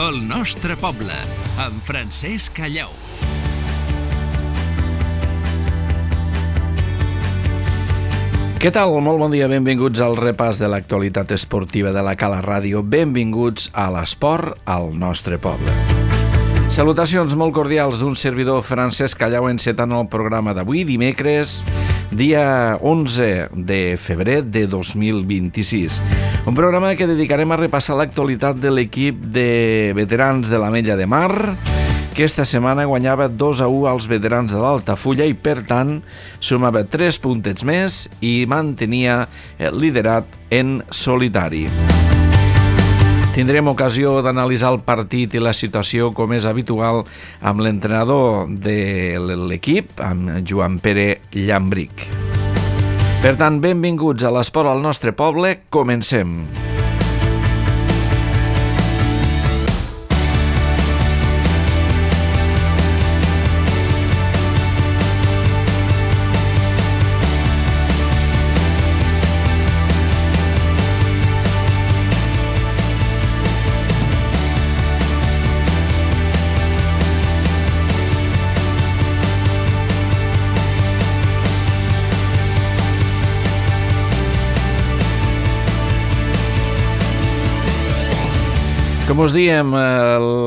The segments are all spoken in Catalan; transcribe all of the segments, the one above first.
El nostre poble, amb Francesc Callau. Què tal? Molt bon dia, benvinguts al repàs de l'actualitat esportiva de la Cala Ràdio. Benvinguts a l'esport al nostre poble. Salutacions molt cordials d'un servidor, Francesc Callau, encetant el programa d'avui, dimecres, dia 11 de febrer de 2026. Un programa que dedicarem a repassar l'actualitat de l'equip de veterans de l'Ametlla de Mar, que esta setmana guanyava 2-1 als veterans de l'Altafulla i, per tant, sumava 3 puntets més i mantenia el liderat en solitari. Tindrem ocasió d'analitzar el partit i la situació, com és habitual, amb l'entrenador de l'equip, amb Joan Pere Llambric. Per tant, benvinguts a l'esport al nostre poble. Comencem. Com us diem,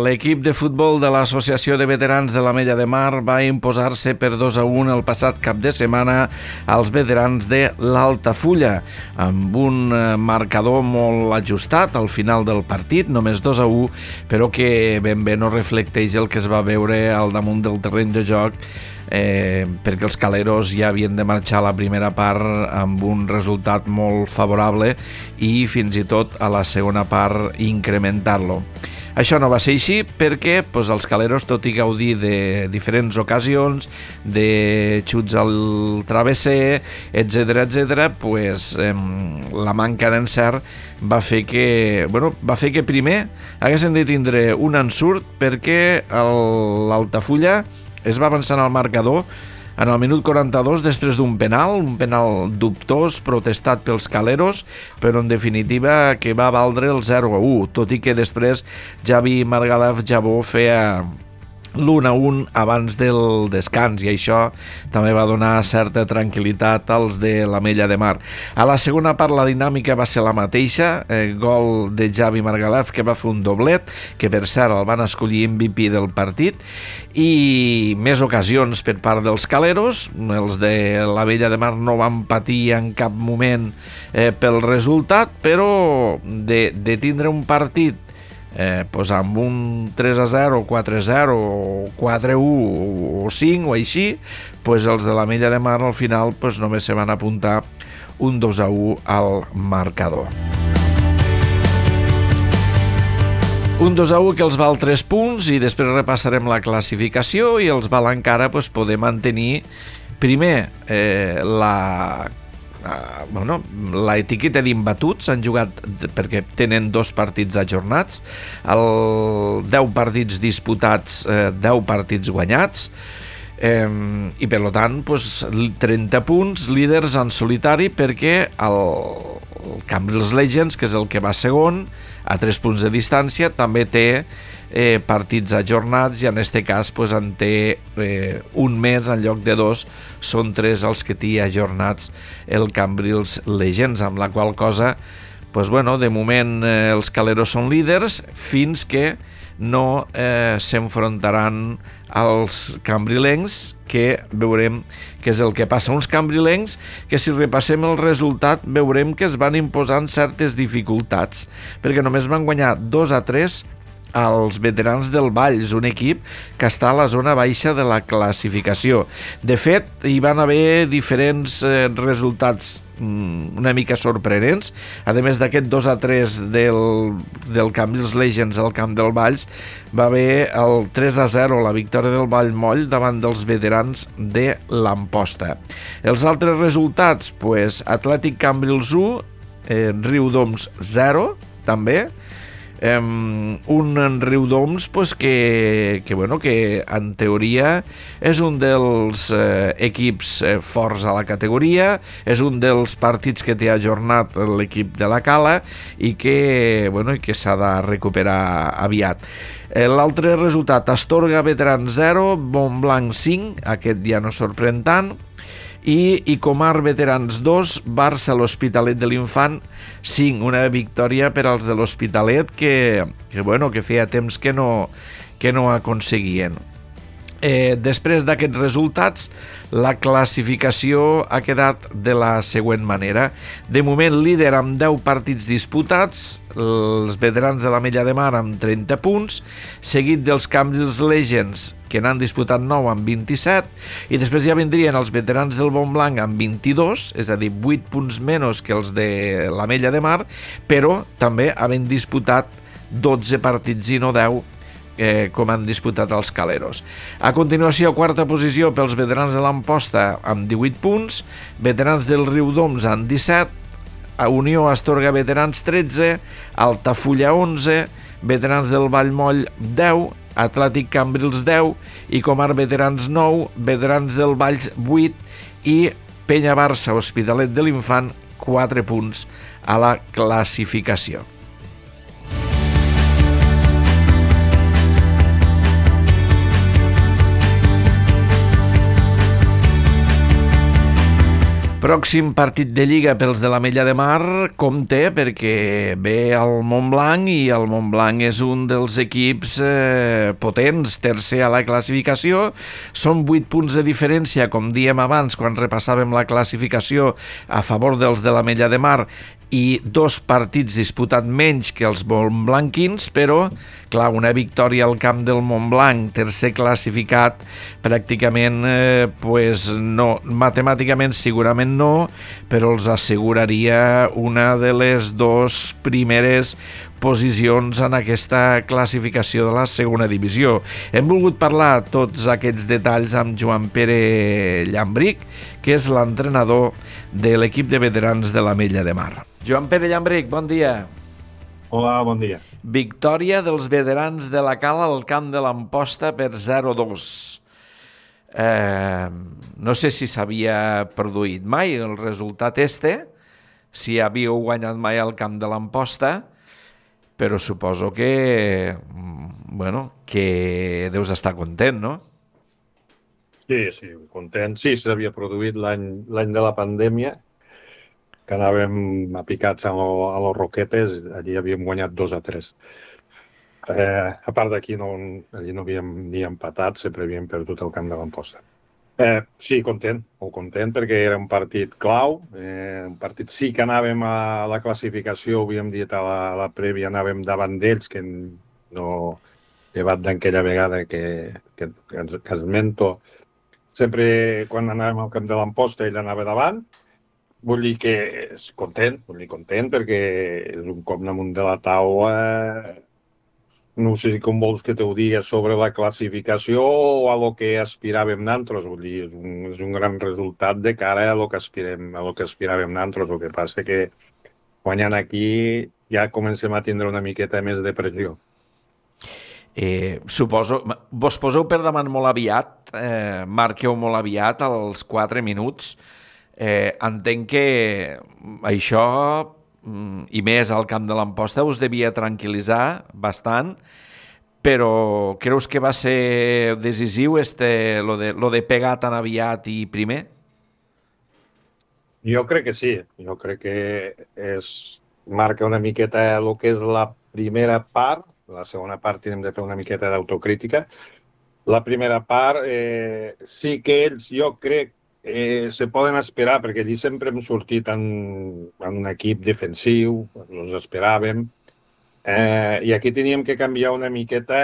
l'equip de futbol de l'Associació de Veterans de l'Ametlla de Mar va imposar-se per 2-1 el passat cap de setmana als veterans de l'Altafulla, amb un marcador molt ajustat al final del partit, només 2-1, però que ben bé no reflecteix el que es va veure al damunt del terreny de joc, perquè els caleros ja havien de marxar a la primera part amb un resultat molt favorable i fins i tot a la segona part incrementar-lo. Això no va ser així perquè els caleros, tot i gaudir de diferents ocasions, de xuts al travesser, etc., la manca d'encert va fer que primer haguessin de tindre un ensurt perquè l'Altafulla es va avançar al marcador en el minut 42 després d'un penal, un penal dubtós protestat pels caleros, però en definitiva que va valdre el 0-1, tot i que després Javi Margalef Jabó feia l'1-1 abans del descans i això també va donar certa tranquil·litat als de l'Ametlla de Mar. A la segona part la dinàmica va ser la mateixa, gol de Javi Margalef que va fer un doblet, que per cert el van escollir MVP del partit, i més ocasions per part dels caleros. Els de l'Ametlla de Mar no van patir en cap moment pel resultat, però de tindre un partit amb un 3-0, 4-0, 4-1 o 5 o així, els de l'Ametlla de Mar al final només se van apuntar un 2-1 al marcador. Un 2-1 que els val 3 punts i després repassarem la classificació i els val encara poder mantenir primer la etiqueta d'imbatuts. Han jugat perquè tenen 2 partits ajornats, 10 partits disputats, 10 partits guanyats, i per tant 30 punts, líders en solitari, perquè el Cambrils Legends, que és el que va segon a 3 punts de distància, també té partits ajornats i en aquest cas en té un més en lloc de 2, són 3 els que té ajornats el Cambrils Legends, amb la qual cosa de moment els caleros són líders fins que no s'enfrontaran als cambrilencs, que veurem què és el que passa. Uns cambrilencs que, si repassem el resultat, veurem que es van imposant certes dificultats, perquè només van guanyar 2-3 als veterans del Valls, un equip que està a la zona baixa de la classificació. De fet, hi van haver diferents resultats una mica sorprenents. A més d'aquest 2-3 del Cambrils Legends al camp del Valls, va haver el 3-0, la victòria del Vallmoll davant dels veterans de l'Amposta. Els altres resultats, Atlètic Cambrils 1, Riudoms 0, també, Un Riudoms pues, que en teoria és un dels equips forts a la categoria, és un dels partits que té ajornat l'equip de la Cala i que s'ha de recuperar aviat. L'altre resultat, Astorga Veterans 0, Montblanc 5, aquest ja no sorprèn tant, i Comar Veterans 2, Barça l'Hospitalet de l'Infant 5, una victòria per als de l'Hospitalet que feia temps que no aconseguien. Després d'aquests resultats, la classificació ha quedat de la següent manera. De moment líder amb 10 partits disputats, els veterans de l'Ametlla de Mar amb 30 punts, seguit dels Cambrils Legends, que n'han disputat 9 amb 27, i després ja vindrien els veterans del Montblanc amb 22, és a dir, 8 punts menys que els de l'Ametlla de Mar, però també havent disputat 12 partits i no 10, com han disputat els Caleros. A continuació, quarta posició pels veterans de l'Amposta amb 18 punts, veterans del Riudoms amb 17, Unió Astorga Veterans 13, Altafulla 11, veterans del Vallmoll 10, Atlètic Cambrils 10 i Comar Veterans 9, veterans del Valls 8 i Penya Barça Hospitalet de l'Infant 4 punts a la classificació. Pròxim partit de Lliga pels de l'Ametlla de Mar, compte, perquè ve el Montblanc i el Montblanc és un dels equips potents, tercer a la classificació. Són 8 punts de diferència, com dèiem abans, quan repassàvem la classificació a favor dels de l'Ametlla de Mar, i 2 partits disputat menys que els montblanquins, però, clar, una victòria al camp del Montblanc, tercer classificat, pràcticament, no, matemàticament segurament no, però els asseguraria una de les 2 primeres posicions en aquesta classificació de la segona divisió. Hem volgut parlar tots aquests detalls amb Joan Pere Llambric, que és l'entrenador de l'equip de veterans de l'Ametlla de Mar. Joan Pere Llambric, bon dia. Hola, bon dia. Victòria dels veterans de la Cala al camp de l'Amposta per 0-2. No sé si s'havia produït mai el resultat si havíeu guanyat mai al camp de l'Amposta, però suposo que deus estar content, no? Sí, content. Sí, s'havia produït l'any de la pandèmia, que anàvem apicats a los Roquetes, allí havíem guanyat 2-3. A part d'aquí, allí no havíem ni empatat, sempre havíem perdut el camp de l'Amposta. Sí, content, molt content, perquè era un partit clau, un partit sí que anàvem a la classificació, ho havíem dit a la prèvia, anàvem davant d'ells, que no llevat d'aquella vegada que esmento. Sempre quan anàvem al camp de l'Amposta ell anava davant, vull dir que és content, perquè és un cop damunt de la taula. No sé com vols que t'ho digui sobre la classificació o a lo que aspiràvem nosaltres. Vull dir, és un gran resultat de cara a lo que aspiràvem nosaltres. El que passa que guanyant aquí ja comencem a tindre una miqueta més de pressió. Suposo, vos poseu per davant molt aviat, marqueu molt aviat als 4 minuts. Entenc que això, i més al camp de l'Amposta, us devia tranquil·litzar bastant, però creus que va ser decisiu lo de pegar tan aviat i primer? Jo crec que sí, jo crec que marca una miqueta el que és la primera part. La segona part hem de fer una miqueta d'autocrítica. La primera part sí que ells, jo crec, se poden esperar, perquè allí sempre hem sortit en un equip defensiu, ens esperàvem, i aquí teníem que canviar una miqueta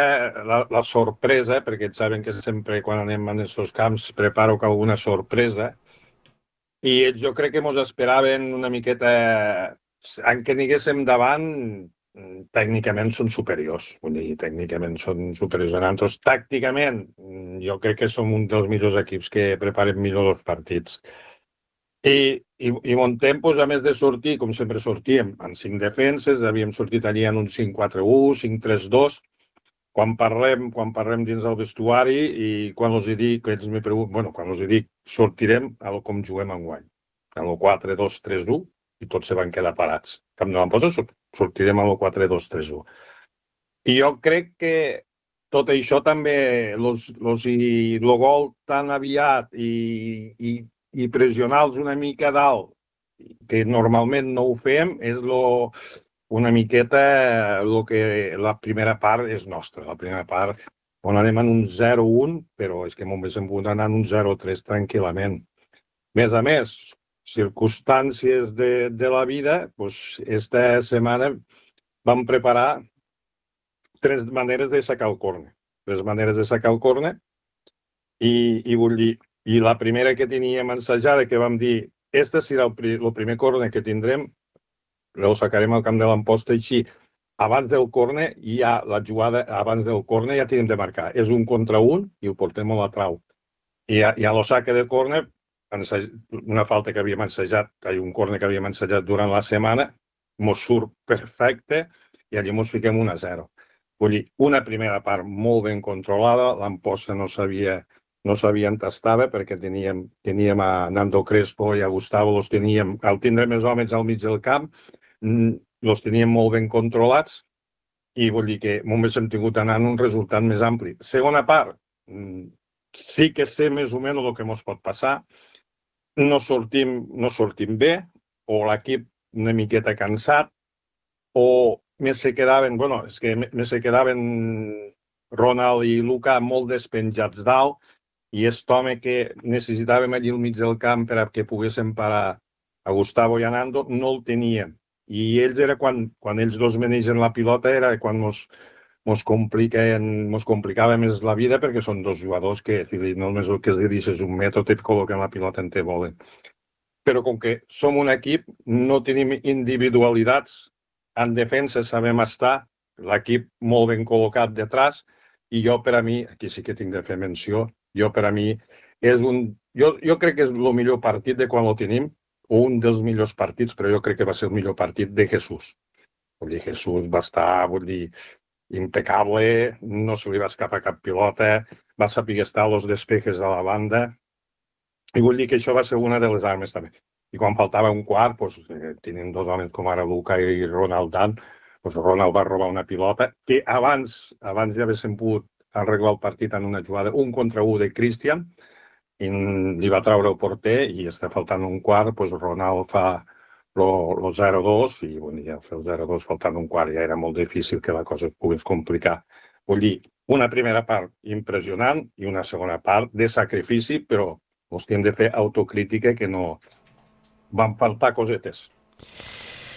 la sorpresa, perquè ells saben que sempre quan anem a aquests camps preparo alguna sorpresa, i ells jo crec que ens esperaven una miqueta, en què aniguéssim davant, tècnicament són superiors, vull dir, tècnicament són superiors a nosaltres. Tàcticament, jo crec que som un dels millors equips que preparen millor els partits. I i montem, doncs, a més de sortir, com sempre sortíem, en 5 defenses, havíem sortit allí en un 5-4-1, 5-3-2. Quan parlem dins del vestuari i quan els dic, ells me pregunten, bueno, quan els dic, sortirem a com juguem enguany. En el 4-2-3-1 i tots se van quedar parats. Camp de l'Amposta sortirem a el 4-2-3-1. I jo crec que tot això també, el gol tan aviat i pressionar-los una mica dalt, que normalment no ho fem, és una miqueta la primera part és nostra. La primera part, on anem en un 0-1, però és que només hem pogut anar en un 0-3 tranquil·lament. Més a més, circumstàncies de la vida, doncs, esta setmana vam preparar 3 maneres de sacar el córner. 3 maneres de sacar el córner i vull dir, i la primera que teníem ensajada, que vam dir, este serà el primer córner que tindrem, el sacarem al camp de l'Amposta, així, abans del córner, la jugada abans del córner ja tenim de marcar. És 1 contra 1 i ho portem a la trau. I a lo saque de córner, una falta que havíem ensajat, un córner que havíem ensajat durant la setmana, mos surt perfecte i allí mos fiquem 1-0. Vull dir, una primera part molt ben controlada, l'Amposta no sabia on estava perquè teníem a Nando Crespo i a Gustavo, al tindre més homes al mig del camp, els teníem molt ben controlats i vull dir que només hem tingut d'anar en un resultat més ampli. Segona part, sí que sé més o menys el que ens pot passar, no sortim bé, o l'equip una miqueta cansat, o més se quedaven Ronald i Luca molt despenjats dalt, i aquest home que necessitàvem allí al mig del camp per a que poguéssim parar a Gustavo i a Nando, no el teníem. I ells era quan ells dos manegen la pilota, era quan mos complicava més la vida, perquè són 2 jugadors que només el que els dius és un mètode i et col·loquen la pilota en te volen. Però com que som un equip, no tenim individualitats. En defensa sabem estar, l'equip molt ben col·locat detrás, i jo per a mi, aquí sí que tinc de fer menció, jo crec que és el millor partit de quan el tenim, o un dels millors partits, però jo crec que va ser el millor partit de Jesús. Vull dir, Jesús va estar, impecable, no se li va escapar cap pilota, va saber estar als despejes a la banda, i vull dir que això va ser una de les armes també. I quan faltava un quart, tenint 2 homes com ara Luca i Ronald Dan, Ronald va robar una pilota que abans ja haguéssim pogut arreglar el partit en una jugada 1 contra 1 de Christian, i li va treure el porter i està faltant un quart, Ronald fa el 0-2 i ja fer el 0-2 faltant un quart ja era molt difícil que la cosa es pogués complicar. Vull dir, una primera part impressionant i una segona part de sacrifici, però ens hem de fer autocrítica que no van faltar cosetes.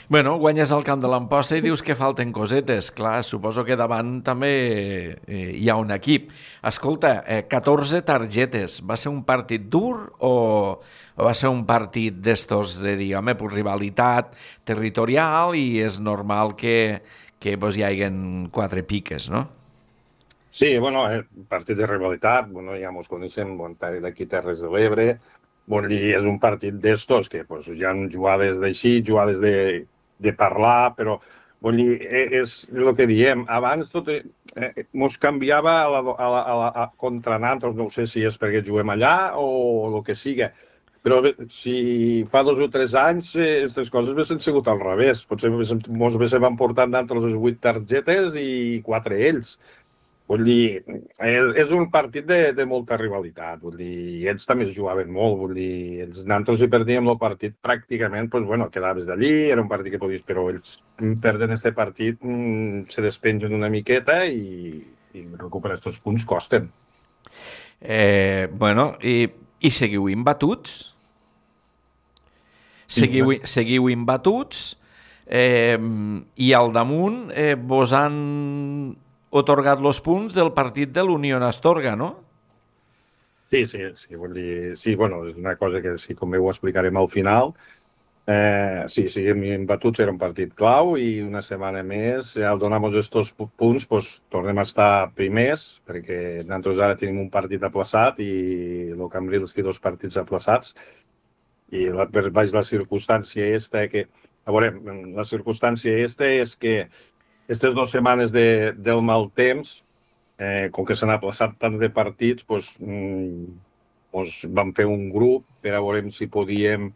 Bueno, guanyes al camp de l'Amposta i dius que falten cosetes. Clar, suposo que davant també hi ha un equip. Escolta, 14 targetes. Va ser un partit dur o va ser un partit d'estos de dir, home, rivalitat territorial i és normal que hi hagin 4 piques, no? Sí, partit de rivalitat, ja ens coneixem, d'aquí Terres de l'Ebre. Vull dir, és un partit d'estos que hi ha jugades d'així, jugades de parlar, però vull dir, és el que diem. Abans tot ens canviava contra nosaltres, no sé si és perquè juguem allà o el que siga, però si fa 2 o 3 anys aquestes coses haguessin sigut al revés. Potser ens haguéssim portat nosaltres les 8 targetes i 4 ells. Vull dir, és un partit de molta rivalitat, vull dir, ells també es jugaven molt, vull dir, nosaltres hi perdíem el partit pràcticament, quedaves d'allí, era un partit que podies, però ells perden este partit, se despengen una miqueta i recuperar aquests punts costen. I seguiu imbatuts? Seguiu imbatuts i al damunt vos han otorgat els punts del partit de l'Unió Astorga, no? Sí, vull dir, sí, és una cosa que sí, com ho explicarem al final. Sí, seguim imbatuts, era un partit clau i una setmana més, al donar-nos aquests punts, tornem a estar primers, perquè nosaltres ara tenim un partit aplaçat i el Cambrils té 2 partits aplaçats. I la circumstància esta que... A veure, la circumstància esta és que aquestes 2 setmanes del mal temps, com que s'han aplaçat tants de partits, vam fer un grup per a veure si podíem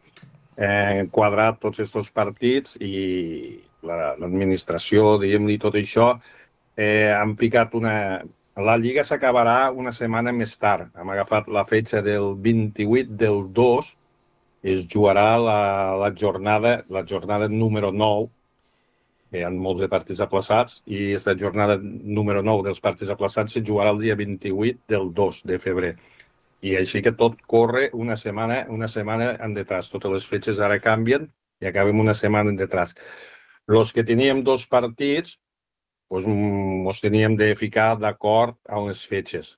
quadrar tots aquests partits i l'administració, diguem-li tot això, han ficat una... La Lliga s'acabarà una setmana més tard. Hem agafat la fetge del 28 del 2, es jugarà la jornada número 9, que hi ha molts de partits aplaçats, i aquesta jornada número 9 dels partits aplaçats se jugarà el dia 28 del 2 de febrer. I així que tot corre una setmana en detrás. Totes les fetges ara canvien i acabem una setmana en detrás. Els que teníem 2 partits, ens teníem de ficar d'acord amb les fetges.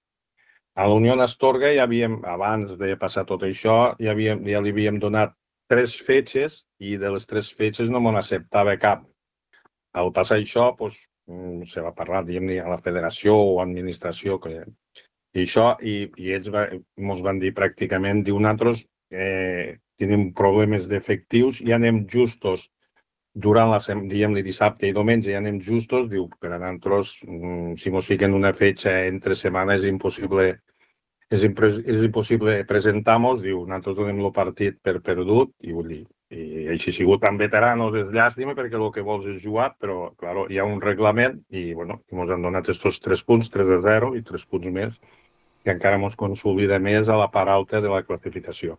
A la Unió Astorga abans de passar tot això, ja li havíem donat 3 fetges i de les 3 fetges no m'ho acceptava cap. Al passar això, se va parlar, diguem-ne, a la federació o administració i ells ens van dir pràcticament, nosaltres tenim problemes d'efectius i anem justos durant diguem-ne, dissabte i diumenge, ja anem justos, diu, per a nosaltres, si ens fiquen una fetge entre setmana és impossible presentar-nos, diu, nosaltres donem el partit per perdut, i vull dir, i així ha sigut tan veteranos, és llàstima perquè el que vols és jugar, però, clar, hi ha un reglament i, bueno, ens han donat aquests 3 punts, 3-0 i 3 punts més, que encara ens consolida més a la part alta de la classificació.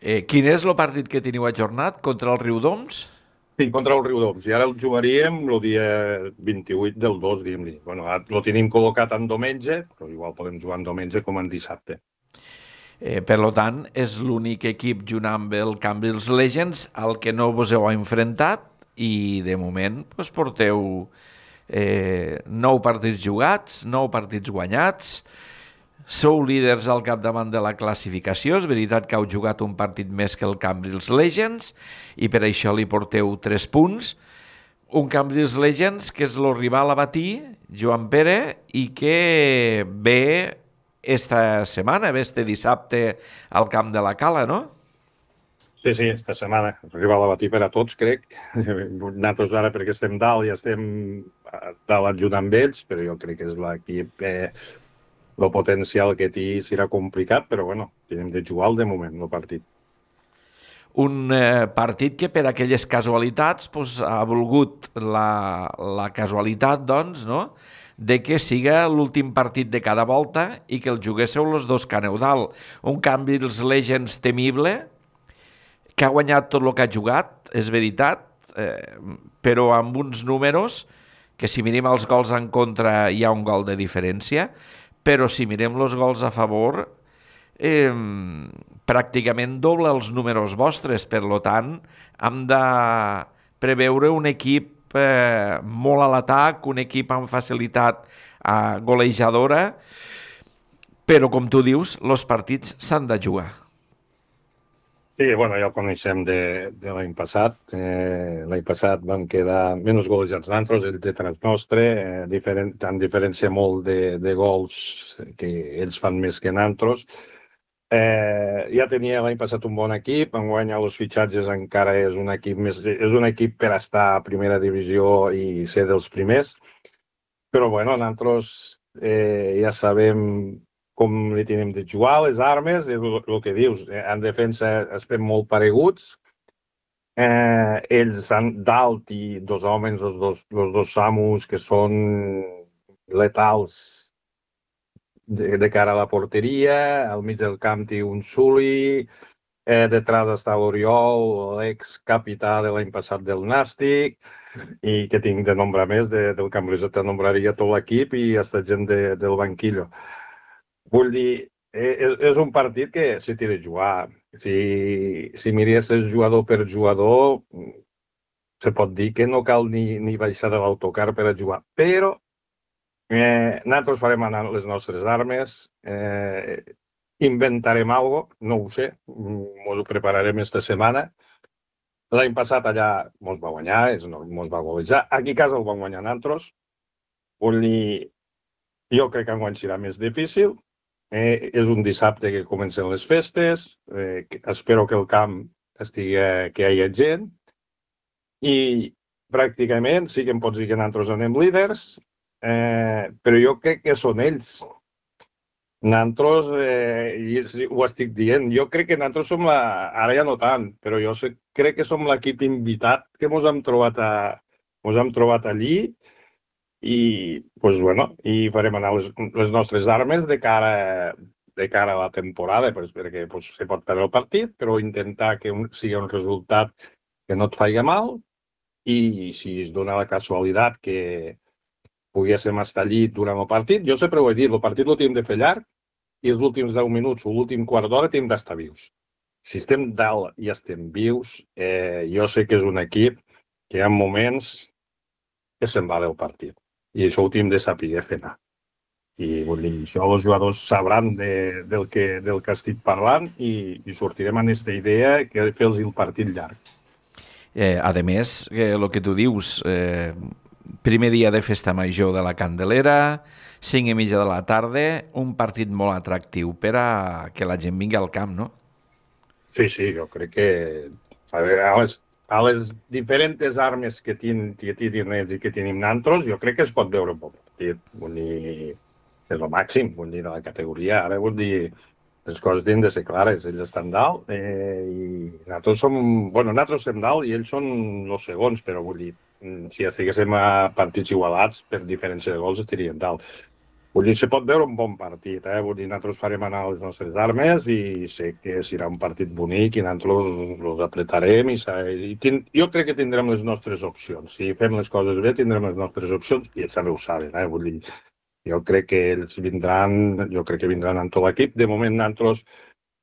Quin és el partit que teniu ajornat contra el Riudoms? Sí, contra el Riudoms. I ara el jugaríem el dia 28 del 2, diguem-li. Bueno, el tenim col·locat en diumenge, però igual podem jugar en diumenge com en dissabte. Per tant, és l'únic equip junt amb el Cambrils Legends al que no vos heu enfrontat i de moment porteu 9 partits jugats, 9 partits guanyats, sou líders al capdavant de la classificació. És veritat que heu jugat un partit més que el Cambrils Legends i per això li porteu 3 punts. Un Cambrils Legends que és el rival a batir, Joan Pere, i que ve esta setmana, ve este dissabte al camp de la Cala, no? Sí, esta setmana. Rival a batir per a tots, crec. Nosaltres ara, perquè estem dalt i estem dalt ajudant amb ells, però jo crec que és l'equip... el potencial que té serà complicat, però bueno, tenim de jugar de moment, el partit. Un partit que per aquelles casualitats ha volgut la casualitat, doncs, no?, de que siga l'últim partit de cada volta i que el juguéssiu els dos que aneu dalt. Un Cambrils Legends temible, que ha guanyat tot el que ha jugat, és veritat, però amb uns números que si mirem els gols en contra hi ha un gol de diferència, però si mirem els gols a favor pràcticament doble els números vostres. Per tant, hem de preveure un equip molt a l'atac, un equip amb facilitat golejadora, però com tu dius, els partits s'han de jugar. Sí, bueno, ja el coneixem de l'any passat. L'any passat vam quedar menys golejats nosaltres, ells detrás nostre, en diferència molt de gols que ells fan més que nosaltres. Ja tenia l'any passat un bon equip, enguany els fitxatges encara és un equip per estar a primera divisió i ser dels primers, però bueno, nosaltres ja sabem com li tenim de jugar, les armes, és el que dius, en defensa estem molt pareguts, ells han dalt i 2 homes, els dos Samus, que són letals de cara a la porteria, al mig del camp té un Suli, detrás està l'Oriol, l'ex-capità de l'any passat del Nàstic, i que tinc de nombrar més, del Cambrils te nombraria tot l'equip i hasta gent del banquillo. Vull dir, és un partit que s'hi té de jugar. Si miressis jugador per jugador, se pot dir que no cal ni baixar de l'autocar per a jugar. Però nosaltres farem anar les nostres armes, inventarem alguna cosa, no ho sé, ens ho prepararem esta setmana. L'any passat allà ens va guanyar, ens va golejar. Aquí a casa el vam guanyar nosaltres. Vull dir, jo crec que enguany serà més difícil. És un dissabte que comencen les festes. Espero que el camp que hi hagi gent, i pràcticament sí que em pots dir que nosaltres anem líders, però jo crec que són ells. Nosaltres, ho estic dient, jo crec que nosaltres som ara ja no tant, però jo crec que som l'equip invitat que mos hem trobat allí i, pues, bueno, i farem anar les nostres armes de cara a la temporada, pues, perquè pues, se pot perdre el partit, però intentar que sigui un resultat que no et faci mal, i si es dona la casualitat que poguéssim estar allí durant el partit, jo sempre ho he dit, el partit el tenim de fer llarg i els últims 10 minuts o l'últim quart d'hora tenim d'estar vius. Si estem dalt i estem vius, jo sé que és un equip que hi ha moments que se'n va del partit i això ho tenim de saber fer anar. I vull dir, això els jugadors sabran del que estic parlant i sortirem amb aquesta idea que fer-los el partit llarg. A més, el que tu dius, primer dia de festa major de la Candelera, 5:30 de la tarda, un partit molt atractiu per a que la gent vingui al camp, no? Sí, jo crec que a les diferents armes que tenen ells i que tenim nosaltres, jo crec que es pot veure un bon partit. Vull dir, és el màxim, vull dir, de la categoria. Ara vull dir, les coses tenen de ser clares, ells estan dalt i nosaltres som dalt i ells són els segons, però vull dir, si estiguéssim a partits igualats per diferència de gols estaríem dalt. Vull dir, se pot veure un bon partit, vull dir, nosaltres farem anar les nostres armes i sé que serà un partit bonic i nosaltres els apretarem i jo crec que tindrem les nostres opcions. Si fem les coses bé tindrem les nostres opcions i ells també ho saben, vull dir, jo crec que ells vindran amb tot l'equip. De moment nosaltres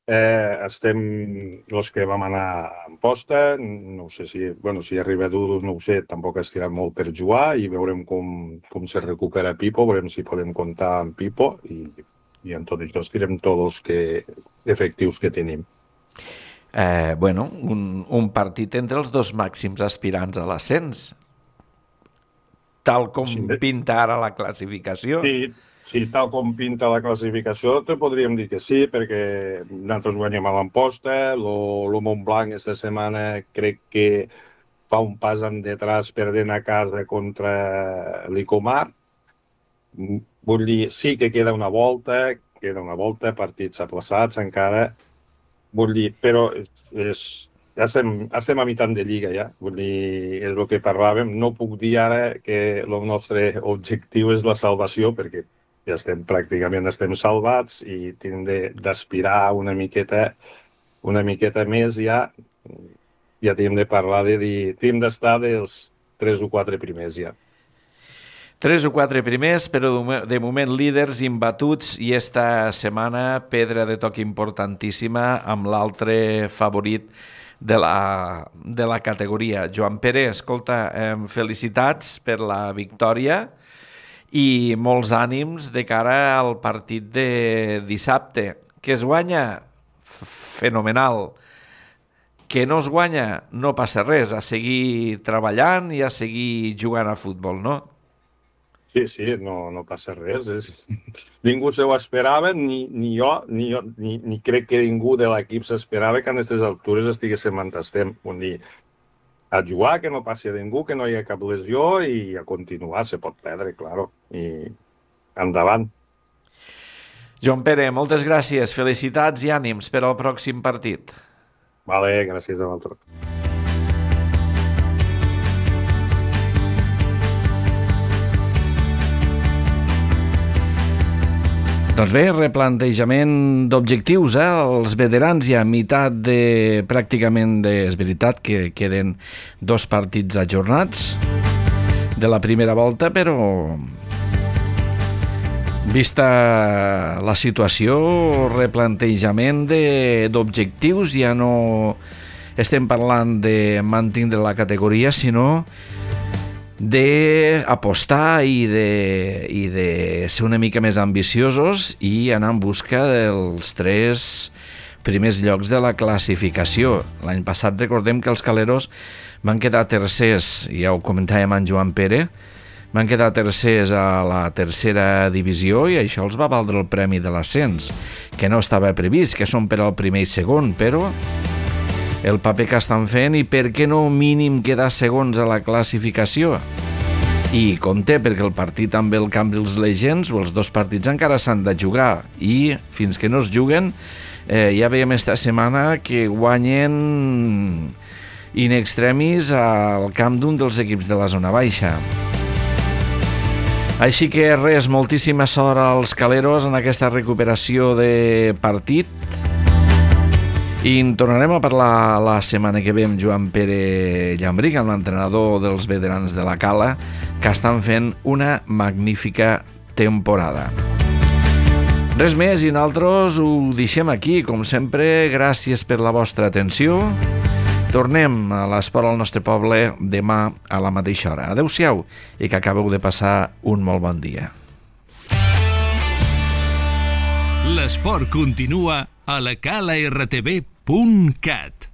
estem els que vam anar en posta, no sé si arriba Dudu, no ho sé, tampoc estirà molt per jugar i veurem com se recupera Pipo, veurem si podem comptar amb Pipo i en tot això estirem tots els efectius que tenim. Un partit entre els dos màxims aspirants a l'ascens, tal com pinta ara la classificació. Sí, tal com pinta la classificació, te podríem dir que sí, perquè nosaltres guanyem a l'Amposta, el Montblanc aquesta setmana crec que fa un pas endetrás perdent a casa contra l'Icomar. Vull dir, sí que queda una volta, partits aplaçats encara, vull dir, però estem a meitat de lliga ja, vull dir, és el que parlàvem. No puc dir ara que el nostre objectiu és la salvació, perquè ja pràcticament estem salvats i hem d'aspirar una miqueta més ja tenim de parlar de dir, tenim d'estar dels 3 o 4 primers ja. 3 o 4 primers, però de moment líders imbatuts i esta setmana pedra de toc importantíssima amb l'altre favorit de la categoria. Joan Pere, escolta, felicitats per la victòria i molts ànims de cara al partit de dissabte. Que es guanya? Fenomenal. Que no es guanya? No passa res, a seguir treballant i a seguir jugant a futbol, no? Sí, no passa res. Ningú se ho esperava, ni jo, ni crec que ningú de l'equip s'esperava que a aquestes altures estiguéssim on estem. Vull dir, a jugar, que no passi a ningú, que no hi ha cap lesió i a continuar, se pot perdre, claro, i endavant. Joan Pere, moltes gràcies, felicitats i ànims per al pròxim partit. Vale, gràcies a vosaltres. Doncs bé, replantejament d'objectius, els veterans ja a meitat de... pràcticament és veritat que queden 2 partits ajornats de la primera volta, però vista la situació, replantejament d'objectius, ja no estem parlant de mantindre la categoria, sinó d'apostar i de ser una mica més ambiciosos i anar en busca dels 3 primers llocs de la classificació. L'any passat recordem que els Caleros van quedar tercers, ja ho comentàvem amb Joan Pere, van quedar tercers a la tercera divisió i això els va valdre el premi de l'ascens, que no estava previst, que són per al primer i segon, però el paper que estan fent i per què no mínim quedar segons a la classificació. I compte, perquè el partit amb el Cambrils Legends, o els dos partits encara s'han de jugar, i fins que no es juguen, ja veiem esta setmana que guanyen in extremis al camp d'un dels equips de la zona baixa. Així que res, moltíssima sort als caleros en aquesta recuperació de partit. I en tornarem a parlar la setmana que ve amb Joan Pere Llambric, amb l'entrenador dels veterans de la Cala, que estan fent una magnífica temporada. Res més i nosaltres ho deixem aquí. Com sempre, gràcies per la vostra atenció. Tornem a l'Esport al nostre poble demà a la mateixa hora. Adéu-siau i que acabeu de passar un molt bon dia. L'esport continua a lacalartv.cat.